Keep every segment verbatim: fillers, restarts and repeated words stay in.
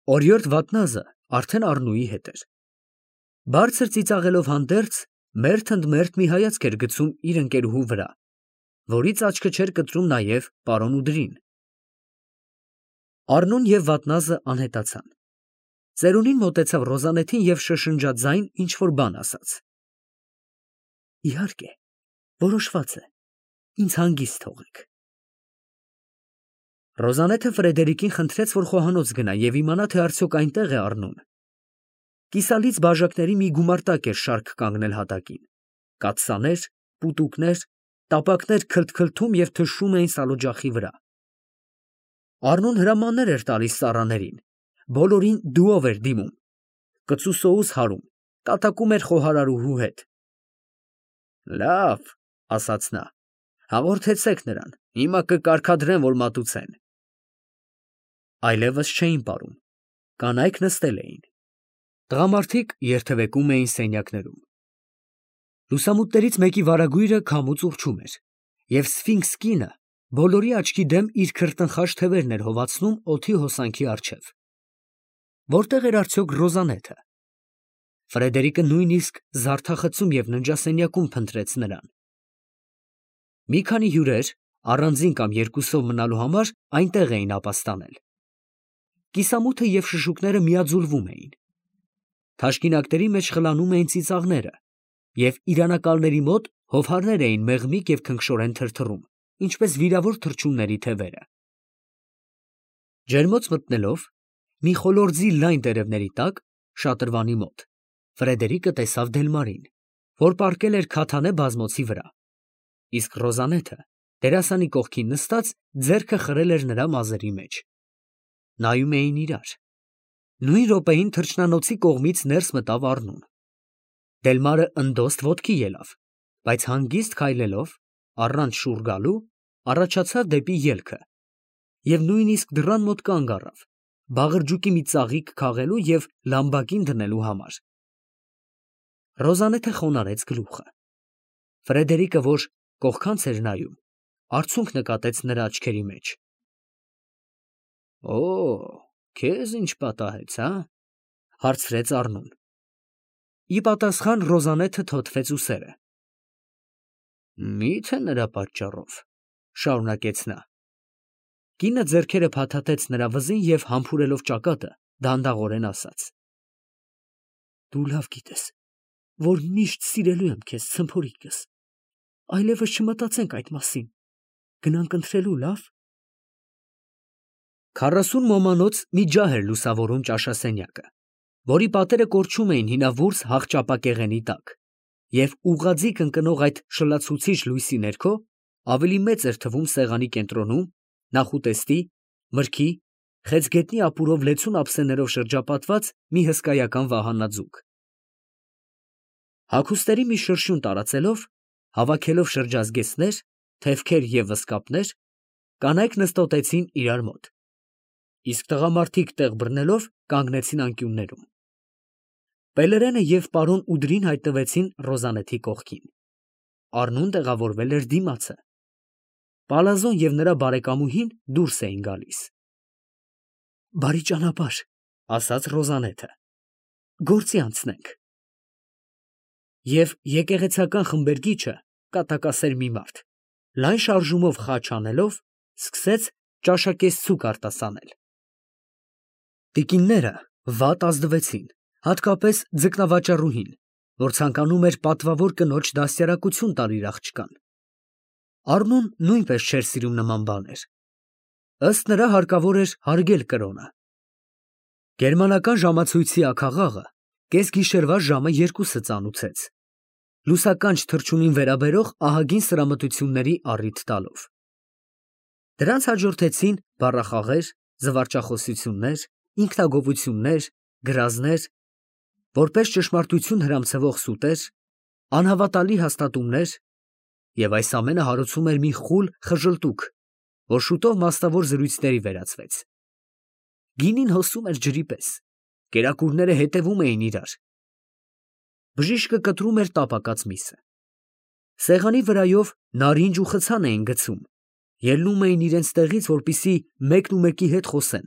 Օրիորդ Վատնազը արդեն Առնուի հետ էր։ Բարձր ծիծաղելով հանդերձ, մերթ ընդ մերթ մի հայացք էր գցում իր ընկերուհու վրա, որից աչքը չէր կտրում նաև պարոն ուդրին։ Առնուն և Վատնազը անհետացան։ Ծերունին մոտեցավ Ռոզանեթին և շշնջաձայն ինչ֊որ բան ասաց։ Իհարկե, որոշված է, ինձ հանգիստ թողեք։ Ռոզանեթը Ֆրեդերիկին խնդրեց, որ խոհանոց գնա և իմանա, թե արդյոք այնտեղ է Առնուն։ Կիսալից բաժակների մի գումարտակ էր շարք կանգնել հատակին, կաթսաներ, պուտուկներ, տապակներ քլթքլթում և թշում էին սալօջախի վրա։ Առնուն հրամաններ էր տալիս ծառաներին, բոլորին դուով էր դիմում, կծու սոուս հարում, կատակում էր խոհարարուհու հետ։ Լավ, ասաց նա, հաղորդեցեք նրան, հիմա կկարգադրեմ, որ մատուցեն։ Այլևս չէին պարում, կանայք նստել էին։ Տղամարդիկ երթևեկում էին սենյակներում։ Լուսամուտներից մեկի վարագույրը քամուց ուռչում էր, և սֆինքս կինը բոլորի աչքի դեմ իր քրտնխաշ թևերն էր հովացնում օդի հոսանքի առջև։ Որտե՞ղ էր արդյոք Ռոզանեթը։ Ֆրեդերիկը նույնիսկ զարդախցում և ննջասենյակում փնտրեց նրան։ Մի քանի հյուրեր, առանձին կամ երկուսով մնալու համար, այնտեղ էին ապաստանել։ Կիսամութը և շշուկները միաձուլվում էին։ Թաշկինակների մեջ խլանում էին ծիծաղները, և իրանակալների մոտ հովհարներ էին մեղմիկ և քնքշորեն թրթռում, ինչպես վիրավոր թռչունների թևերը։ Ջերմոց մտնելով, մի խոլորձի լայն տերևների տակ, շատրվանի մոտ, Ֆրեդերիկը տեսավ Դելմարին, որ պառկել էր քաթանե բազմոցի վրա, իսկ Ռոզանեթը դերասանի կողքին նստած ձեռքը խրել էր նրա մազերի մեջ։ Նայում էին իրար։ Նույն րոպեին թռչնանոցի կողմից ներս մտավ Առնուն։ Դելմարը ընդոստ ոտքի ելավ, բայց հանգիստ քայլելով, առանց շուռ գալու, առաջացավ դեպի ելքը և նույնիսկ դռան մոտ կանգ առավ, բաղրջուկի մի ծաղիկ քաղելու և լամբակին դնելու համար։ Ռոզանեթը խոնարհեց գլուխը։ Ֆրեդերիկը, որ կողքանց էր նայում, արցունք նկատեց նրա աչքերի մեջ։ Օ, քեզ ինչ պատահեց, հա՞, հարցրեց Առնուն։ Ի պատասխան Ռոզանեթը թոթվեց ուսերը։ Մի՞թե նրա պատճառով, շարունակեց նա։ Կինը ձեռքերը փաթաթեց նրա վզին և համբուրելով ճակատը, դանդաղորեն ասաց. Դու լավ գիտես, որ միշտ սիրելու եմ քեզ, ցմփորիկս, այլևս չմտածենք այդ մասին, գնանք ընթրելու, լավ։ Քառասուն ոմանոց մի ջահ էր լուսավորում ճաշասենյակը, որի պատերը կորչում էին հինավուրց հաղճապակեղենի տակ, և ուղղաձիգ ընկնող այդ շլացուցիչ լույսի ներքո ավելի մեծ էր թվում սեղանի կենտրոնում, նախուտեստի, մրգի, խեցգետնի ապուրով լեցուն ափսեներով շրջապատված մի հսկայական վահանաձուկ։ Հագուստերի մի շրշյուն տարածելով, հավաքելով շրջազգեստներ, թևքեր և վզկապներ, կանայք նստոտեցին իրար մոտ, իսկ տղամարդիկ տեղ բռնելով կանգնեցին անկյուններում։ Պելերենը և պարոն Ուդրին հայտնվեցին Ռոզանեթի կողքին։ Առնուն տեղավորվել էր դիմացը։ Պալազոն և նրա բարեկամուհին դուրս էին գալիս։ Բարի ճանապարհ, ասաց Ռոզանեթը, գործի անցնենք։ Եվ եկեղեցական խմբերգիչը, կատակասեր մի մարդ, լայն շարժումով խաչ անելով, սկսեց ճաշակեցցուկ արտասանել։ Տիկինները վատ ազդվեցին, հատկապես ձկնավաճառուհին, որ ցանկանում էր պատվավոր կնոջ դաստիարակություն տալ իր աղջկան։ Առնուն նույնպես չէր սիրում նման բաներ։ Ըստ նրա հարկավոր էր հարգել կրոնը։ Գերմանական ժամացույցի աքաղաղը կեսգիշերվա ժամը երկուսը ծանուցեց, լուսականջ թռչունին վերաբերող ահագին սրամտությունների առիթ տալով։ Դրանց հաջորդեցին բառախաղեր, զվարճախոսություններ, ինքնագովություններ, գրազներ, որպես ճշմարտություն հրամցվող սուտեր, անհավատալի հաստատումներ, և այս ամենը հարուցում էր մի խուլ խժլտուք, որ շուտով մասնավոր զրույցների վերածվեց։ Գինին հոսում էր ջրի պես, կերակուրները հետևում էին իրար։ Բժիշկը կտրում էր տապակած միսը։ Սեղանի վրայով նարինջ ու խցան էին գցում, ելնում էին իրենց տեղից, որպեսզի մեկն ու մեկի հետ խոսեն։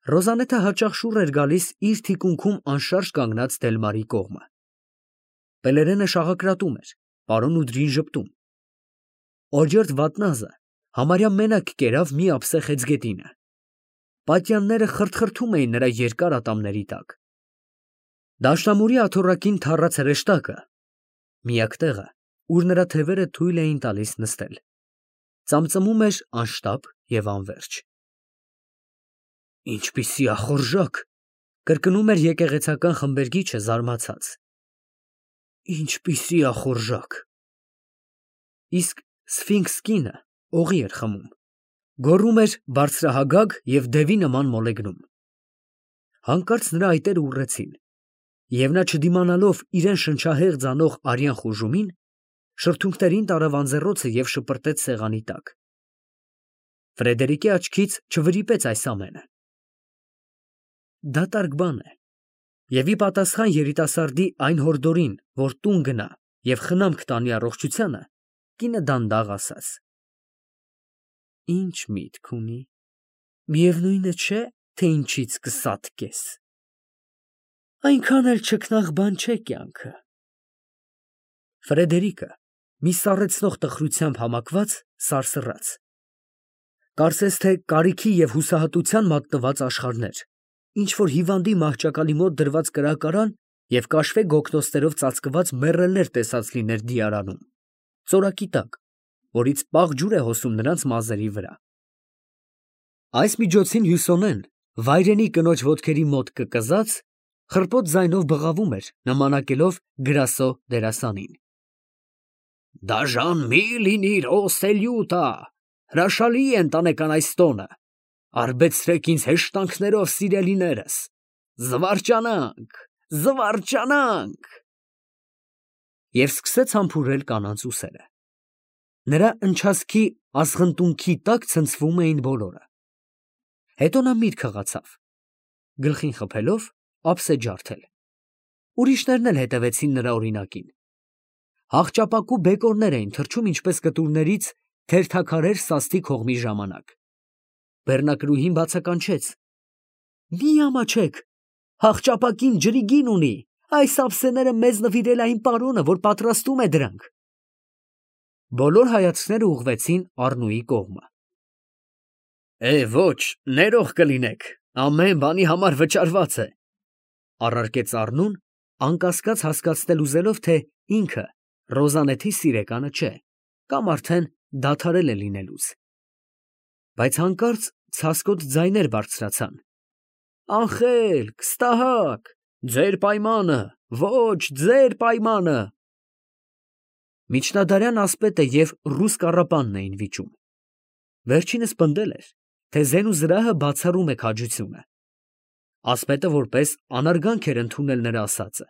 Ռոզանետը հաճախ շուռ էր գալիս իր թիկունքում անշարժ կանգնած Դելմարի կողմը։ Պելերենը շաղակրատում էր, պարոն Ուդրին ժպտում։ Օջերդ վատնազը համարյա մենակ կերավ մի ափսե խեցգետինը։ Պատյանները խրթխրթում էին նրա երկար ատամների տակ։ Դաշնամուրի աթոռակին թառած հրեշտակը, միակ տեղը, ուր նրա թևերը թույլ էին տալիս նստել, ծամծմում էր անշտապ և անվերջ։ Ինչպիսի ախորժակ, կրկնում էր եկեղեցական խմբերգիչը զարմացած։ Ինչպիսի ախորժակ։ Իսկ սֆինքս կինը օղի էր խմում, գոռում էր բարձրահագագ և դևի նման մոլեգնում։ Հանկարծ նրա այտերը ուռեցին, և նա չդիմանալով իրեն շնչահեղձ անող արյան խուժումին, շրթունքներին տարավ անձեռոցը և շպրտեց սեղանի տակ։ Ֆրեդերիկի աչքից չվրիպեց այս ամենը։ Դատարկ բան է, և ի պատասխան երիտասարդի այն հորդորին, որ տուն գնա և խնամք տանի առողջությանը, կինը դանդաղ ասաց. Ինչ միտք ունի, միևնույն է չէ, թե ինչից կսատկես։ Այնքան էլ չքնաղ բան չէ կյանքը։ Ֆրեդերիկը մի սառեցնող տխրությամբ համակված սարսռաց։ Կարծես թե կարիքի և հուսահատության մատնված աշխարհներ, ինչ որ հիվանդի մահճակալի մոտ դրված կրակարան և կաշվե գոգնոստերով ծածկված մեռելներ տեսած լիներ դիարանում, ծորակի տակ, որից պաղ ջուր է հոսում նրանց մազերի վրա։ Այս միջոցին Հյուսոնեն, վայրենի կնոջ ոտքերի մոտ կկզած, խռպոտ ձայնով բղավում էր, նմանակելով Գրասո դերասանին։ Դաժան մի լինիր, օ Սելյուտա, հրաշալի է ընտանեկան այս տոնը, արբեցրեք ինձ հեշտանքներով սիրելիներս, զվարճանանք, զվարճանանք։ Եվ սկսեց համբուրել կանանց ուսերը։ Նրա ընչազգի ազղնտունքի տակ ցնցվում էին բոլորը։ Հետո նա միտք հղացավ, գլխին խփելով ափսե ջարդել։ Ուրիշներն էլ հետևեցին նրա օրինակին։ Հաղճապակու բեկորներ էին թռչում ինչպես կտուրներից թերթաքարեր սաստիկ հողմի ժամանակ։ Բեռնակրուհին բացականչեց. Մի ամաչեք, հաղճապակին ջրի գին ունի, այս ափսեները մեզ նվիրել է այն պարոնը, որ պատրաստում է դրանք։ Բոլոր հայացքները ուղղվեցին Առնուի կողմը։ Է, ոչ, ներող կլինեք, ամեն բանի համար վճարված է, առարկեց Առնուն, անկասկած հասկացնել ուզելով, թե ինքը Ռոզանեթի սիրեկանը չէ, կամ արդեն դադարել է լինելուց։ Բայց հանկարծ ցասկոտ ձայներ բարձրացան. Անխելք, ստահակ, ձեր պայմանը, ոչ, ձեր պայմանը։ Միջնադարյան ասպետը և ռուս կառապանն էին վիճում։ Վերջինս պնդել էր, թե զենուզրահը բացառում է քաջությունը։ Ասպետը որպես անարգանք էր ընդունել նրա ասածը,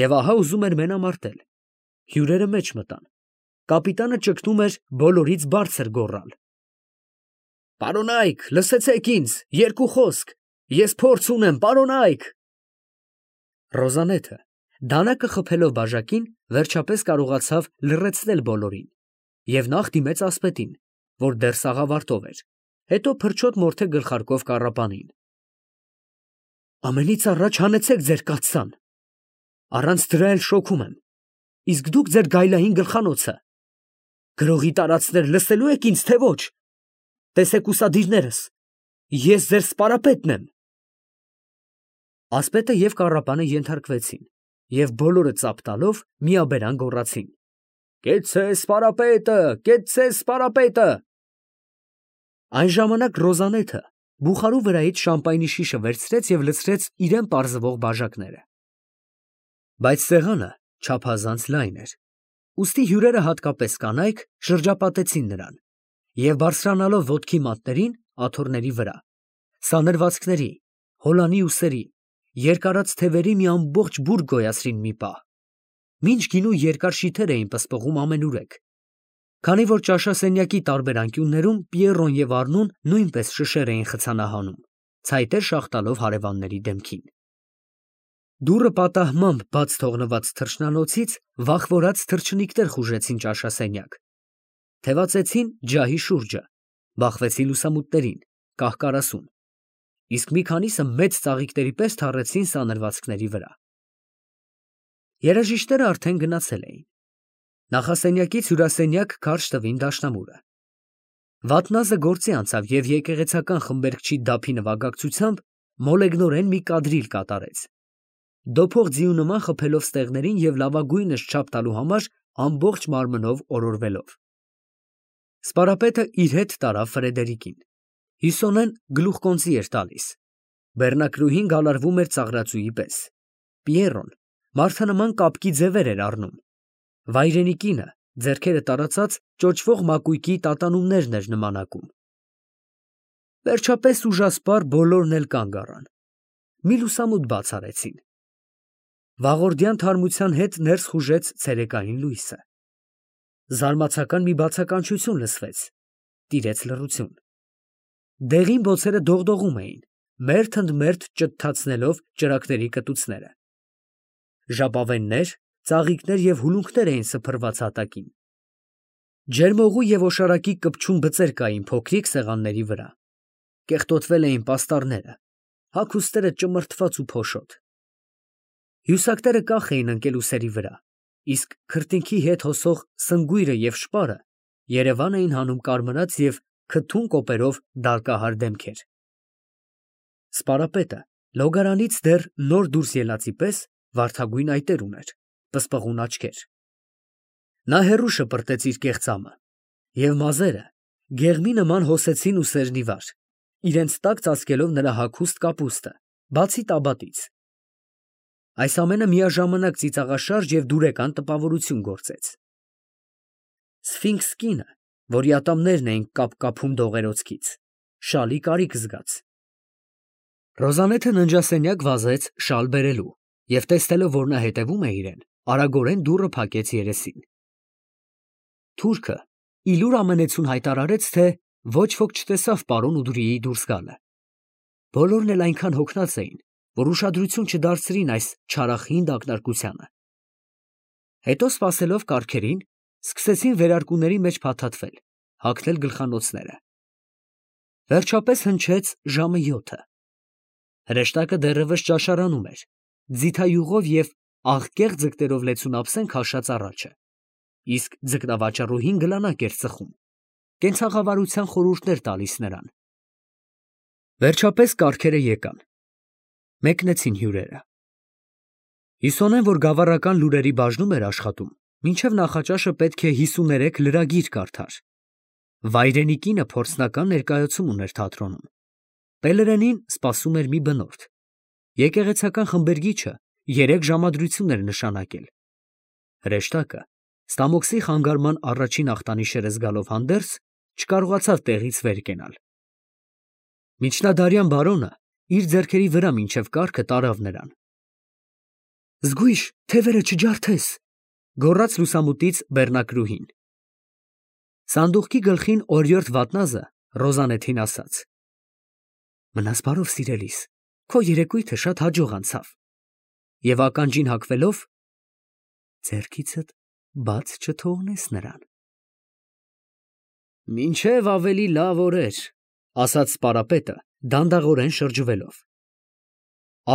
և ահա ուզում էր մենամարտել։ Հյուրերը մեջ մտան։ Կապիտանը ճգնում էր բոլորից բարձր գոռալ. Պարոնայք, լսեցեք ինձ, երկու խոսք, ես փորձ ունեմ, պարոնայք։ Ռոզանեթը, դանակը խփելով բաժակին, վերջապես կարողացավ լռեցնել բոլորին և նախ դիմեց ասպետին, որ դեռ սաղավարտով էր, հետո փրչոտ մորթե գլխարկով կառապանին։ Ամենից առաջ հանեցեք ձեր կաթսան, առանց դրա էլ շոքում եմ, իսկ դուք ձեր գայլային գլխանոցը, գրողի տարածքներ լսելու եք ինձ, թե ոչ, տեսեք ուսադիրներս, ես ձեր սպարապետն եմ։ Ասպետը և կառապանը ենթարկվեցին և բոլորը ծափ տալով միաբերան գոռացին. Կեցցե սպարապետը, կեցցե սպարապետը։ Այն ժամանակ Ռոզանեթը բուխարու վրայից շամպայնի շիշը վերցրեց և լցրեց իրան պարզվող բաժակները։ Բայց սեղանը չափազանց լայն էր, ուստի հյուրերը, հատկապես կանայք, շրջապատեցին նրան և բարձրանալով ոտքի մատներին, աթոռների վրա, սանրվածքների, հոլանի ուսերի, երկարած թևերի մի ամբողջ բուրգ գոյացրին մի պահ, մինչ գինու երկար շիթեր էին պսպղում ամենուրեք, քանի որ ճաշասենյակի տարբեր անկյուններում Պիեռոն և Առնուն նույնպես շշեր էին խցանահանում, ցայտեր շաղ տալով հարևանների դեմքին։ Դուռը պատահմամբ բաց թողնված թռչնանոցից վախվորած թռչնիկներ խուժեցին ճաշասենյակ, թևածեցին ջահի շուրջը, բախվեցին լուսամուտներին, կահ֊կարասուն, իսկ մի քանիսը մեծ ծաղիկների պես թառեցին սանրվածքների վրա։ Երաժիշտները արդեն գնացել էին։ Նախասենյակից հյուրասենյակ քարշ տվին դաշնամուրը։ Վատնազը գործի անցավ և եկեղեցական խմբերգչի դափի նվագակցությամբ մոլեգնորեն մի կադրիլ կատարեց, դոփող ձիու նման խփելով ստեղներին և լավագույնս չափ տալու համար ամբողջ մարմնով օրորվելով։ Սպարապետը իր հետ տարավ Ֆրեդերիկին։ Հյուսոնեն գլուխկոնծի էր տալիս։ Բեռնակրուհին գալարվում էր ծաղրածուի պես։ Պիերոն մարդանման կապկի ձևեր էր առնում։ Վայրենի կինը, ձեռքերը տարածած, ճոճվող մակույկի տատանումներն էր նմանակում։ Վերջապես ուժասպառ բոլորն էլ կանգ առան։ Մի լուսամուտ բաց արեցին։ Վաղորդյան թարմության հետ ներս խուժեց ցերեկային լույսը։ Զարմացական մի բացականչություն լսվեց, տիրեց լռություն։ Դեղին բոցերը դողդողում էին, մերթ ընդ մերթ ճտթացնելով ճրագների կտուցները։ Ժապավեններ, ծաղիկներ և հուլունքներ էին սփռված հատակին։ Ջերմողու և օշարակի կպչուն բծեր կային փոքրիկ սեղանների վրա։ Կեղտոտվել էին պաստառները, հագուստները ճմրթված ու փոշոտ։ Հյուսակները կախ էին ընկել ուսերի վրա, իսկ քրտինքի հետ հոսող սնգույրը և շպարը Երևան էին հանում կարմրած և քթուն կոպերով դալկահար դեմքեր։ Սպարապետը լոգարանից դեռ նոր դուրս ելածի պես վարդագույն այտեր ուներ, պսպղուն աչքեր։ Նա հեռու շպրտեց իր կեղծամը, և մազերը գեղմի նման հոսեցին ուսերն ի վար, իրենց տակ ծածկելով նրա հագուստ կապուստը, բացի տաբատից։ Այս ամենը միաժամանակ ծիծաղաշարժ և դուրեկան տպավորություն գործեց։ Սֆինքս կինը, որի ատամներն էին կապկապում դողերոցքից, շալի կարիք զգաց։ Ռոզալեթը ննջասենյակ վազեց շալ բերելու և, տեսնելով, որ նա հետևում է իրեն, արագորեն դուռը փակեց երեսին։ Թուրքը ի լուր ամենեցուն հայտարարեց, թե ոչ ոք չտեսավ պարոն Ուդրիի դուրս գալը։ Բոլորն էլ այնքան հոգնած էին, որ ուշադրություն չդարձրին այս չարախինդ ակնարկությանը։ Հետո, սպասելով կառքերին, սկսեցին վերարկուների մեջ փաթաթվել, հագնել գլխանոցները։ Վերջապես հնչեց ժամը յոթը։ Հրեշտակը դեռևս ճաշարանում էր, ձիթայուղով և աղքեղ ձկներով լեցուն ափսեն քաշած առաջը, իսկ ձկնավաճառուհին գլանակ էր ծխում, կենցաղավարության խորհուրդներ տալիս նրան։ Վերջապես կառքերը եկան։ Մեկնեցին հյուրերը։ Հիսոնեն, որ գավառական լուրերի բաժնում էր աշխատում, մինչև նախաճաշը պետք է հիսուներեք լրագիր կարդար։ Վայրենի կինը փորձնական ներկայացում ուներ թատրոնում։ Պելերենին սպասում էր մի բնորդ։ Եկեղեցական խմբերգիչը երեք ժամադրություն էր նշանակել։ Հրեշտակը, ստամոքսի խանգարման առաջին ախտանիշերը զգալով հանդերձ, չկարողացավ տեղից վեր կենալ։ Միջնադարյան բարոնը իր ձեռքերի վրա մինչև կառքը տարավ նրան։ Զգույշ, թևերը չջարդես, գոռաց լուսամուտից բեռնակրուհին։ Սանդուղքի գլխին օրիորդ վատնազը Ռոզանեթին ասաց. Մնաս բարով, սիրելիս, քո երեկույթը շատ հաջող անցավ։ Եվ ականջին հագվելով, ձեռքիցդ բաց չթողնես նրան։ Մինչև ավելի լավ օրեր, ասաց սպարապետը, դանդաղորեն շրջվելով։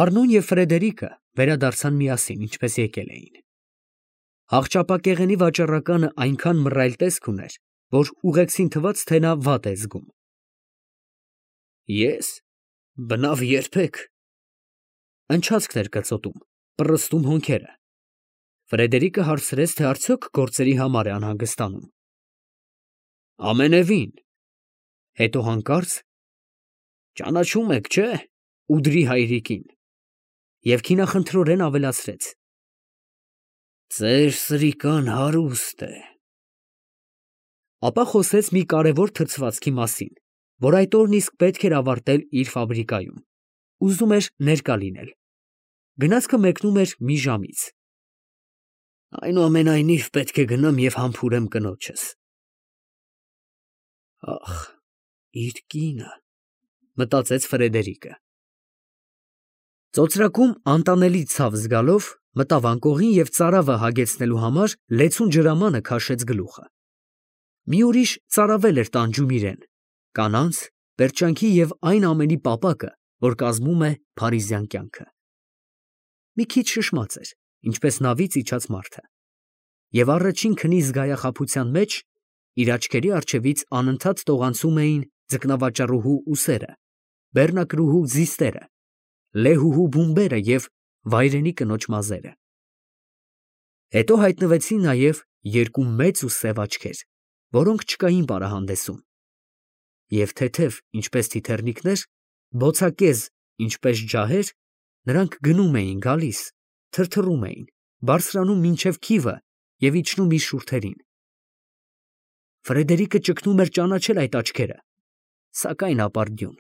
Առնուն և Ֆրեդերիկը վերադարձան միասին, ինչպես եկել էին։ Հաղճապակեղենի վաճառականը այնքան մռայլ տեսք ուներ, որ ուղեկցին թվաց, թե նա վատ է զգում։ Ես, բնավ երբեք, ընչացքն էր կծոտում, պռստում հոնքերը։ Ֆրեդերիկը հարցրեց, թե արդյոք գործերի համար է անհանգստանում։ Ամենևին։ Հետո հանկարծ. Ճանաչում եք, չէ՞, Ուդրի հայրիկին։ Եվ քինախնդրորեն ավելացրեց. Ձեր սրիկան հարուստ է։ Ապա խոսեց մի կարևոր թրծվածքի մասին, որ այդ օրն իսկ պետք էր ավարտել իր ֆաբրիկայում։ Ուզում էր ներկա լինել։ Գնացքը մեկնում էր մի ժամից։ Այնուամենայնիվ պետք է գնամ և համբուրեմ կնոջս։ Ախ, իր կինը, մտածեց Ֆրեդերիկը։ Ծոծրակում անտանելի ցավ զգալով մտավ անկողին և ծարավը հագեցնելու համար լեցուն ջրամանը քաշեց գլուխը։ Մի ուրիշ ծարավել էր տանջում իրեն, կանանց, պերճանքի և այն ամենի պապակը, որ կազմում է փարիզյան կյանքը։ Մի քիչ շշմած էր, ինչպես նավից իջած մարդը, և առաջին քնի զգայախաբության մեջ իր աչքերի առջևից անընդհատ տողանցում էին ձկնավաճառուհու ուսերը, բեռնակրուհու ձիստերը, լեհուհու բումբերը և վայրենի կնոջ մազերը։ Հետո հայտնվեցին նաև երկու մեծ ու սև աչքեր, որոնք չկային պարահանդեսում, և թեթև, ինչպես թիթեռնիկներ, բոցակեզ, ինչպես ջահեր, նրանք գնում էին, գալիս, թրթռում էին, բարձրանում մինչև քիվը և իջնում իր շուրթերին։ Ֆրեդերիկը ճգնում էր ճանաչել այդ աչքերը, սակայն ապարդյուն։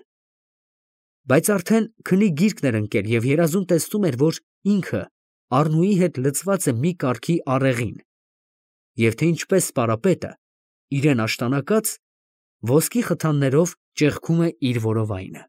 Բայց արդեն քնի գիրկն էր ընկել և երազում տեսնում էր, որ ինքը Առնուի հետ լցված է մի կարգի աղեղին, և թե ինչպես սպարապետը, իրեն աշտանակած, ոսկի խթաններով ճեղքում է իր որովայնը։